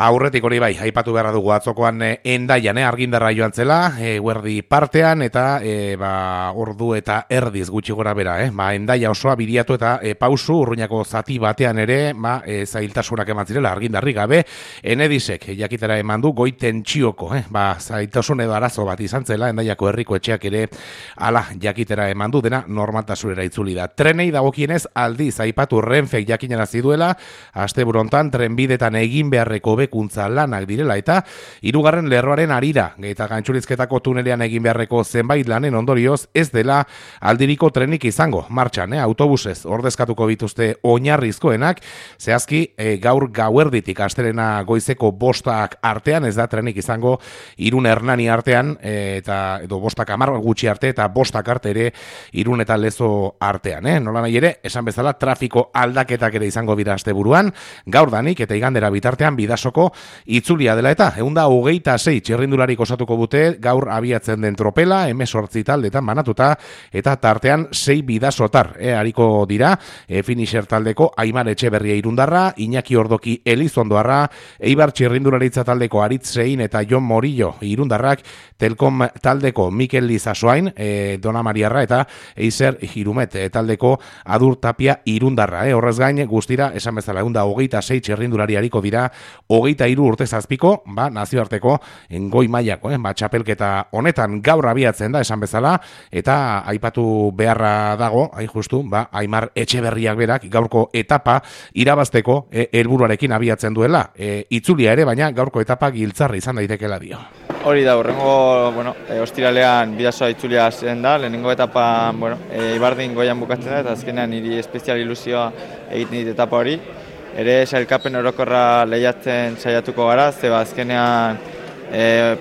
Aurretik hori bai, aipatu beharra dugu atzokoan Hendaian argindarra joan zela, guerdi partean eta ordu eta erdiz gutxi gora bera, Hendaia osoa bidiatu eta pausu Urruñako zati batean ere, zailtasunak eman zirela argindarri gabe, Enedisek jakitera eman du goi tentsioko, zailtasun edo arazo bat izan zela, Hendaiako herriko etxeak ere ala jakitera eman du dena normaltasunera itzuli da. Trenei dagokienez aldiz aipatu Renfek jakinarazi duela, asteburu hontan trenbidetan egin beharreko hobekuntza lanak direla eta hirugarren lerroaren harira eta Gantxurizketako tunelean egin beharreko zenbait lanen ondorioz ez dela aldiriko trenik izango martxan, autobusez ordezkatuko bituzte oinarrizkoenak, zehazki gaur gauerditik astelena goizeko 5 artean ez da trenik izango Irun Hernani artean eta edo 5:10 gutxi arte eta 5 arte ere Irun eta Lezo artean, nola nahi ere, esan bezala trafiko aldaketak ere izango dira asteburuan, gaur danik eta igandera bitartean Bidasoko itzulia dela eta 126 txirrindularik osatuko dute gaur abiatzen den tropela, 18 taldetan banatuta eta tartean 6 bidasotar hariko dira, finisher taldeko Aimar Etxeberria irundarra, Iñaki Ordoki Elizondoarra, Eibar txirrindularitza taldeko Aritz Sein eta Jon Morillo irundarrak, Telkom taldeko Mikel Lizasoain, Dona Mariarra eta Eiser Hirumet taldeko Adur Tapia irundarra. Horrez gain guztira esan bezala 126 txirrindulari hariko dira 23 urte zazpiko, nazioarteko goi mailako, txapelketa honetan gaur abiatzen da esan bezala, eta aipatu beharra dago, hain justu, Aimar Etxeberriak berak gaurko etapa irabazteko helburuarekin abiatzen duela. Itzulia ere, baina gaurko etapa giltzarra izan daitekela dio. Hori da, horrengo, ostiralean Bidasoa itzulia zen da, lehenengo etapa, Ibardin goian bukatzen da, eta azkenean niri espezial ilusioa egiten dit etapa hori. Ere sailkapen orokorra lehiatzen saiatuko gara, zeba azkenean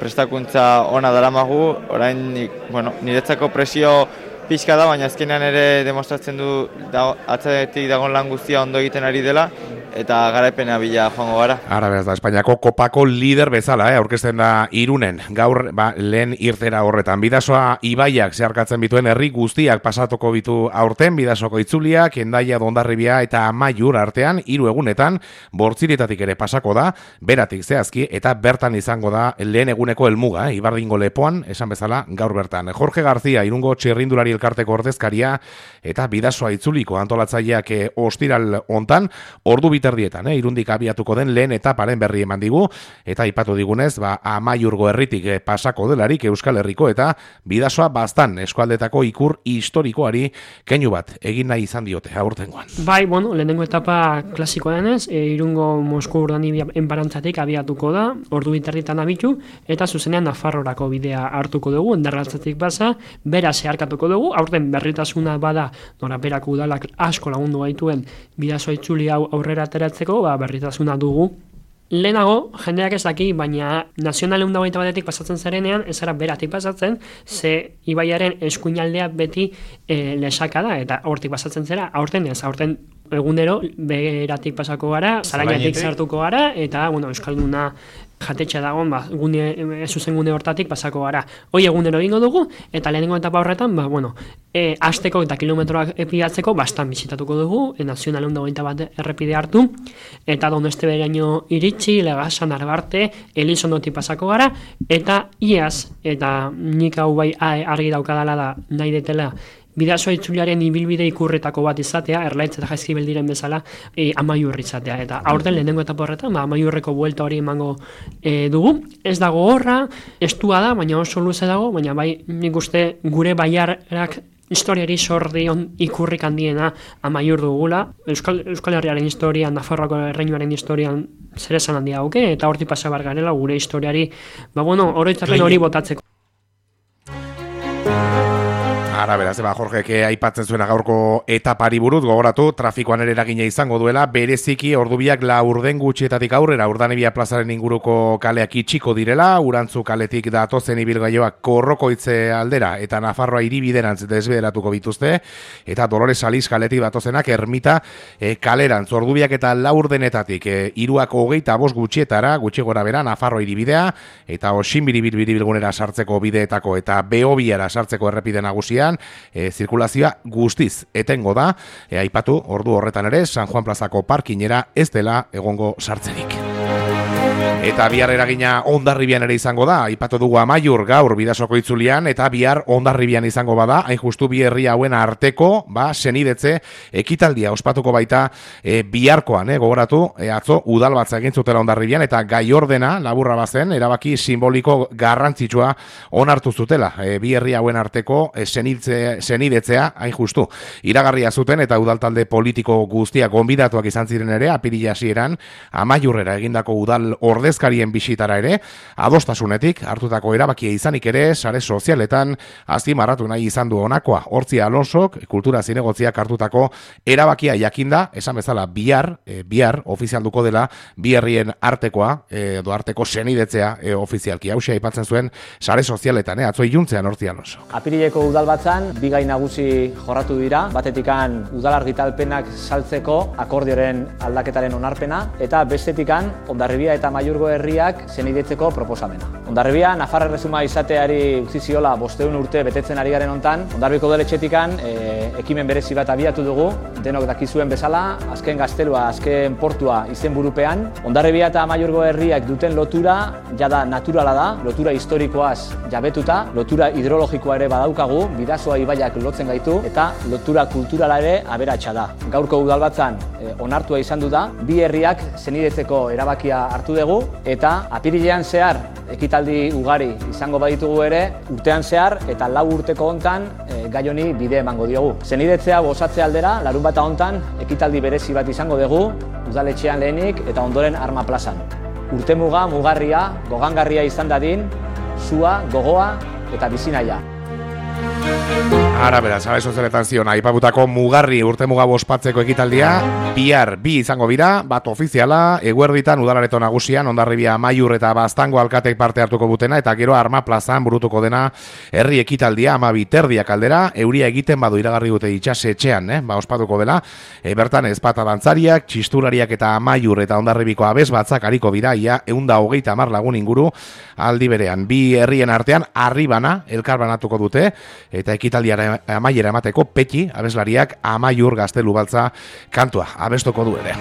prestakuntza ona daramagu, orain niretzako presio pixka da, baina azkenean ere demostratzen du atzatik dagoen lan guztia ondo egiten ari dela, eta garaipena bila joango gara. Ara beraz da, Espainiako kopako lider bezala, aurkezten da Irunen, gaur lehen irtera horretan. Bidasoa ibaiak zeharkatzen bituen herri guztiak pasatuko bitu aurten, Bidasoko itzuliak, Hendaia, Hondarribia eta Amaiur artean, 3 egunetan, Bortzirietatik ere pasako da, beratik zehazki, eta bertan izango da lehen eguneko helmuga, Ibardingo lepoan, esan bezala, gaur bertan. Jorge García, Irungo txirrindulari elkarteko ordezkaria, eta Bidasoa itzuliko antolatzaileak ostiral hontan, ordu biterdietan, Irundik abiatuko den lehen etaparen berri eman digu, eta aipatu digunez, Amaiurgo herritik pasako delarik Euskal Herriko eta Bidasoa Baztan eskualdetako ikur historikoari keinu bat egin nahi izan diote aurtengoan. Bai, lehenengo etapa klasikoa denez, Irungo Mosku Urdanibia enbarantzatik abiatuko da, ordu biterdietan abitu, eta zuzenean Nafarrorako bidea hartuko dugu, Endarratzatik basa, bera zeharkatuko dugu, aurten berritasuna bada, noraberako udalak asko lagundu gaituen Bidasoa itzuli hau aurrera ateratzeko, berritasuna dugu. Lehenago, jendeak ez daki, baina nazional 121 pasatzen zarenean, ez ara beratik pasatzen, ze ibaiaren eskuinaldea beti lesaka da, eta hortik pasatzen zera, aurten ez, aurten egunero beratik pasako gara, Zarainatik sartuko gara, eta, Euskalduna jatetxe dagoen, zuzen gune hortatik pasako gara. Hoi egunero egingo dugu, eta lehenengo etapa horretan, asteko eta kilometroak epidatzeko, bastan bizitatuko dugu, nazional 121 errepide hartu, eta Doneste beraino iritsi, Legasan, Arbarte, Elizondotik pasako gara, eta iaz, eta nik hau bai argi daukadala da nahi detela, Bidasoa itzuliaren ibilbide ikurretako bat izatea, Erlaitz eta Jaizkibel diren bezala, Amaiur izatea. Eta aurten lehenengo etapa horretan, Amaiurreko buelta hori emango dugu. Ez dago horra, estua da, baina oso luze dago, baina bai nik uste gure baiarrak historiari sordion ikurrik handiena Amaiur dugula. Euskal Herriaren historian, Nafarroako erreinuaren historian zer esan handia dauke, eta hortik pasa bar garela gure historiari, oroitzapen hori botatzeko. Ara beraz, Jorgeke aipatzen zuena gaurko etapari buruz, gogoratu, trafikoan ere eragina izango duela, bereziki ordubiak laurden gutxietatik aurrera, Urdanibia plazaren inguruko kaleak itxiko direla, Urantzu kaletik datozen ibilgailoak Korrokoitze aldera, eta Nafarroa hiribiderantz desbideratuko bituzte, eta Dolores Aliz kaletik datozenak Ermita kalerantz, ordubiak eta laurdenetatik, 3:25 gutxietara, gutxi gora bera, Nafarroa hiribidea, eta Osinbiribilgunera sartzeko bideetako, eta Beobiara sartzeko errepide nagusia, zirkulazioa guztiz etengo da, aipatu ordu horretan ere San Juan plazako parkinera ez dela egongo sartzerik. Eta bihar eragina Hondarribian ere izango da, aipatu dugu Amaiur gaur Bidasoko itzulian, eta bihar Hondarribian izango bada, hain justu bi herri hauen arteko, senidetze ekitaldia ospatuko baita biharkoan, gogoratu, atzo udalbatza egin zutela Hondarribian, eta gai ordena, laburra bazen, erabaki simboliko garrantzitsua onartu zutela, bi herri hauen arteko senidetzea, hain justu, iragarria zuten, eta udaltalde politiko guztiak gonbidatuak izan ziren ere, apirila hasieran Amaiurrera egindako udal ordezkarien bisitara ere, adostasunetik hartutako erabakia izanik ere, sare sozialetan azpimarratu nahi izan du honakoa. Hortzi Alonsok, kultura zinegotziak hartutako erabakia jakinda, esan bezala bihar ofizialduko dela bi herrien artekoa, edo arteko senidetzea ofizialki. Hauxe aipatzen zuen sare sozialetan, atzo iluntzean Hortzi Alonso. Apirileko udalbatzan bi gai nagusi jorratu dira, batetikan udal argitalpenak saltzeko akordioren aldaketaren onarpena, eta bestetikan Hondarribia eta Amaiurgo herriak senidetzeko proposamena. Hondarribia Nafar Erresuma izateari utzi ziola 500 urte betetzen ari garen hontan, Hondarribiko udaletxetikan ekimen berezi bat abiatu dugu, denok dakizuen bezala, azken gaztelua, azken portua izenburupean. Hondarribia eta Amaiurgo herriak duten lotura jada naturala da, lotura historikoaz jabetuta, lotura hidrologikoa ere badaukagu, Bidasoa ibaiak lotzen gaitu, eta lotura kulturala ere aberatsa da. Gaurko udalbatzan onartua izan du da, bi herriak senidetzeko erabakia hartu dugu, eta apirilean zehar ekitaldi ugari izango baditugu ere, urtean zehar eta 4 urteko hontan gai honi bide emango diogu. Senidetzea gozatze aldera, larunbata hontan ekitaldi berezi bat izango dugu, udaletxean lehenik eta ondoren Arma plazan. Urtemuga, mugarria, gogangarria izan dadin, sua, gogoa eta bizinaia. Arabera, sare sozialetan zion, aipatutako mugarri urtemuga ospatzeko ekitaldia, bihar bi izango bira, bat ofiziala, eguerditan udalareto nagusian, Hondarribia, Amaiur eta Baztango alkatek parte hartuko butena, eta gero Arma plazan burutuko dena herri ekitaldia, 12:30 aldera, euria egiten badu iragarri dute itxasetxean, ospatuko dela, bertan ezpata dantzariak, txistulariak eta Amaiur eta Hondarribiko abesbatzak hariko bira, ia 130 lagun inguru, aldi berean, bi herrien artean, arribana, elkarbanatuko dute, eta ekitaldiara amaiera emateko Peti, abeslariak Amaiur Gaztelu Baltza kantua abestuko du ere.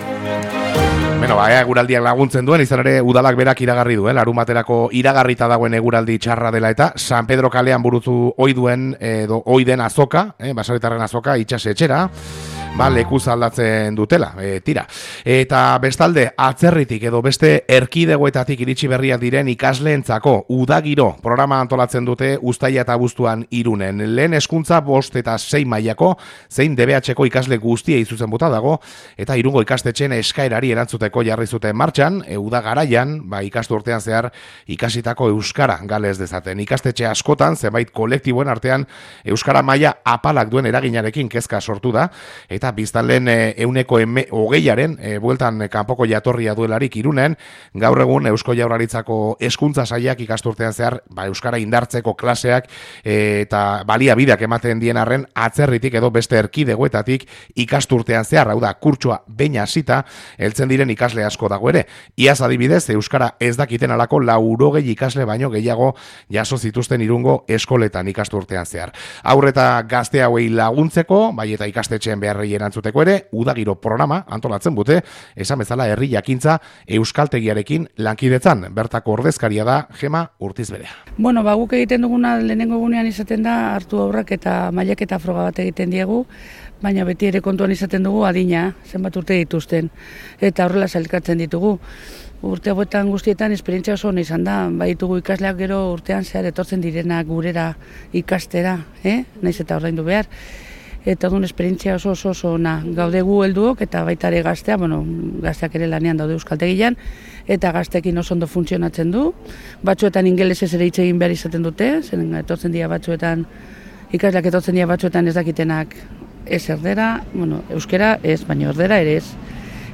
Eguraldiak laguntzen duen, izan ere udalak berak iragarri duen, larumaterako iragarrita dagoen eguraldi txarra dela eta San Pedro kalean burutu oiden azoka, basaretarren azoka, itxasetxera, lekuz aldatzen dutela, tira. Eta bestalde, atzerritik edo beste erkidegoetatik iritsi berriak diren ikasleentzako udagiro programa antolatzen dute uztaila eta abuztuan Irunen. Lehen hezkuntza 5 eta 6 mailako, zein DBH-ko ikasle guztiei zuzenduta dago, eta Irungo ikastetxeen eskaerari erantzuteko jarri zuten martxan, uda garaian, ikasturtean zehar ikasitako euskara galez dezaten. Ikastetxe askotan, zenbait kolektiboen artean, euskara maila apalak duen eraginarekin kezka sortu da, eta biztanleen 20% bueltan kanpoko jatorria duelarik Irunen, gaur egun Eusko Jaurlaritzako hezkuntza sailak ikasturtean zehar euskara indartzeko klaseak eta baliabideak ematen dien arren atzerritik edo beste erkidegoetatik ikasturtean zehar, hau da, kurtsoa behin hasita heltzen diren ikasle asko dago ere. Iaz adibidez, euskara ez dakiten alako 80 ikasle baino gehiago jaso zituzten Irungo eskoletan ikasturtean zehar. Aurreta gazte hauei laguntzeko, bai eta ikastetxeen beharrei erantzuteko ere, udagiro programa antolatzen dute, esan bezala herri jakintza euskaltegiarekin lankidetzan. Bertako ordezkaria da Gema Urtizberea. Guk egiten duguna lehenengo egunean izaten da, hartu aurrak eta mailak eta froga bat egiten diegu, baina beti ere kontuan izaten dugu adina, zenbat urte dituzten, eta horrela sailkatzen ditugu. Urte hauetan guztietan esperientzia oso ona izan da, baitugu ikasleak gero urtean zehar etortzen direnak gurera ikastera, naiz eta ordaindu behar. Eta duen esperientzia oso ona. Gaude gu helduok eta baita ere gaztea, gazteak ere lanean daude euskaltegian, eta gazteekin oso ondo funtzionatzen du. Batzuetan ingelesez ere hitz egin behar izaten dute, zen etortzen dira batzuetan, ikasleak etortzen dira batzuetan ez dakitenak ez erdera, euskera ez, baina erdera ere ez.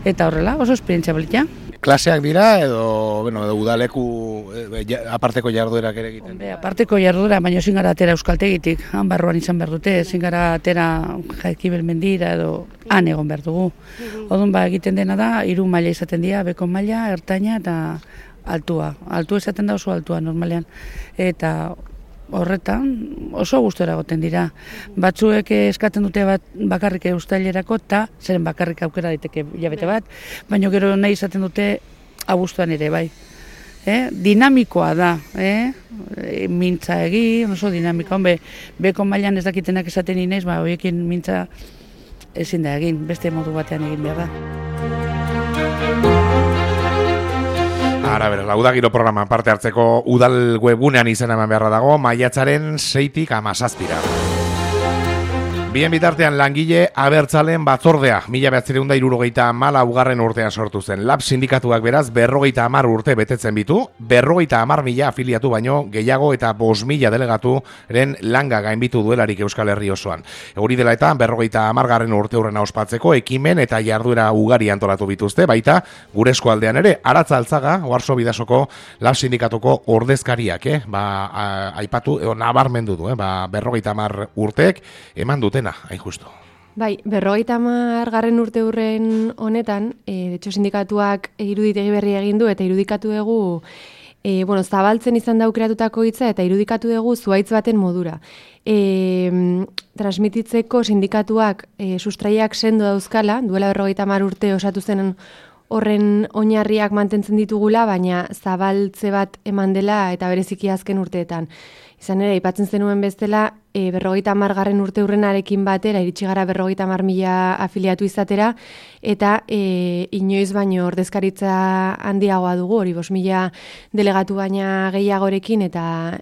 Eta horrela, oso esperientzia balita. Klaseak dira edo udaleku aparteko jarduerak ere egiten? Aparteko jarduera, baina ezin gara atera euskaltegitik, han barruan izan behar dute, ezin gara atera Jaizkibel mendira edo han egon behar dugu. Odun egiten dena da, 3 maila izaten dira, beko maila, ertaina eta altua. Altua izaten da oso altua normalean. Eta horretan oso gustora egoten dira. Batzuek eskatzen dute bakarrik uztailerako eta zeren bakarrik aukera daiteke hilabete bat, baina gero nahi izaten dute abuztuan ere, bai. dinamikoa da, mintza egin, oso dinamikoa, beko mailan ez dakitenak esaten inez, horiekin mintza ezin da egin, beste modu batean egin behar da. Ara, bera, Udagiro programan parte hartzeko udal webgunean izena eman beharra dago, maiatzaren 6-tik 17-ra. Bien bitartean langile abertzalen batzordea, 1974 urtean sortu zen. Lab sindikatuak beraz 50 urte betetzen bitu, 50.000 afiliatu baino gehiago eta 5.000 delegaturen langa gainbitu duelarik Euskal Herri osoan. Hori dela eta 50. urte hurrena ospatzeko ekimen eta jarduera ugari antolatu bituzte, baita gure eskualdean ere, Aratza Altzaga, Oarso Bidasoko Lab sindikatuko ordezkariak, aipatu, nabarmendu du, 50 urteek eman duten hain justu. Bai, 50. urte hurren honetan, de hecho sindikatuak iruditegi berri egin du eta irudikatu dugu zabaltzen izan da aukeratutako hitza eta irudikatu dugu zuhaitz baten modura. Transmititzeko sindikatuak sustraiak sendo dauzkala, duela 50 urte osatu zen horren oinarriak mantentzen ditugula, baina zabaltze bat eman dela eta bereziki azken urteetan. Izan ere, aipatzen zenuen bestela, 50. urte hurrenarekin batera, iritsi gara 50.000 afiliatu izatera, eta inoiz baino ordezkaritza handiagoa dugu, hori 5.000 delegatu baina gehiagorekin, eta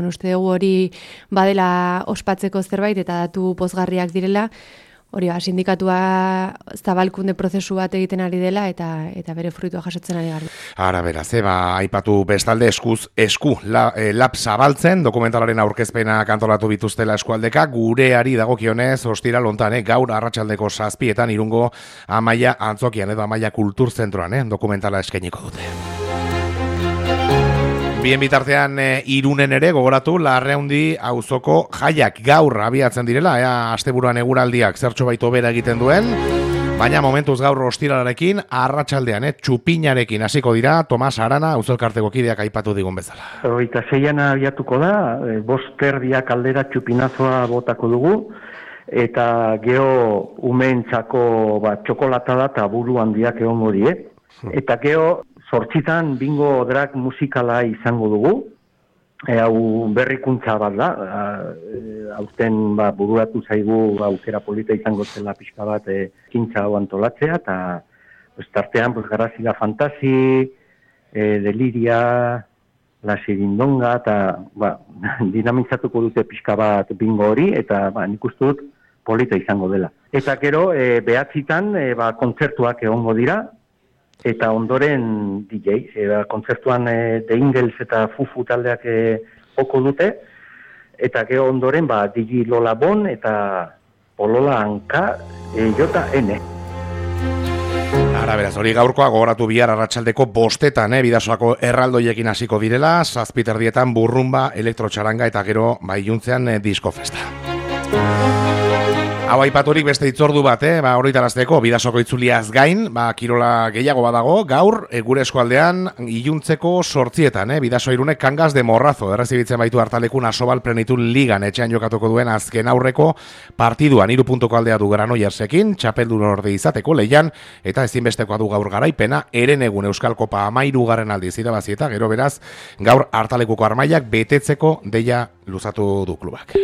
uste dugu hori badela ospatzeko zerbait, eta datu pozgarriak direla, hori sindikatua zabalkunde prozesu bat egiten ari dela eta bere fruitua jasotzen ari gara. Ara beraz, aipatu bestalde esku lab zabaltzen, dokumentalaren aurkezpena kantolatu bituztela eskualdeka, gureari dagokionez, ostiral hontan, gaur arratsaldeko 7:00 Irungo Amaia Antzokian edo Amaia Kulturzentroan, dokumentala eskainiko dute. Bien bitartean Irunen ere gogoratu Larreundi auzoko jaiak gaur abiatzen direla, asteburuan eguraldiak zertxo baito bera egiten duen, baina momentuz gaur ostiralarekin arratsaldean txupinarekin hasiko dira. Tomas Arana auzoelkarteko kideak aipatu digun bezala. 26an abiatuko da, 5:30 aldera txupinazoa botako dugu, eta geho umeentzako txokolata da eta buru handiak egongo die. Eta geho 8:00 bingo drag musikala izango dugu, hau berrikuntza bat da, aurten bururatu zaigu aukera polita izango zela pixka bat ekintza hau antolatzea, eta tartean Garazila Fantasi, Deliria, La Sirindonga, eta dinamizatuko dute pixka bat bingo hori, eta nik uste dut polita izango dela. Eta gero, 9:00 kontzertuak egongo dira, eta ondoren DJ, kontzertuan The Ingles eta Fufu taldeak joko dute, eta gero ondoren DJ Lola Bon eta Polola Anka JN. Ara beraz, hori gaurkoa gogoratu bihar arratsaldeko 5:00 Bidasoako erraldoiekin hasiko direla, 7:30 burrumba, elektrotxaranga eta gero iluntzean disko festa. Hau aipaturik beste itzordu bat, horritarazteko Bidasoko itzuliaz gain, kirola gehiago badago, gaur gure eskualdean iluntzeko 8:00, Bidaso Irunek Cangas de Morrazo errezibitzen baitu Hartalekun Asobal Plenitud Ligan etxean jokatuko duen azken aurreko partiduan 3 puntuko aldea du Granoillersekin, txapeldun orde izateko lehian, eta ezinbestekoa du gaur garaipena, Herenegun Euskal Kopa 13. aldiz irabazi eta gero beraz, gaur Hartalekuko armailak betetzeko deia luzatu du klubak.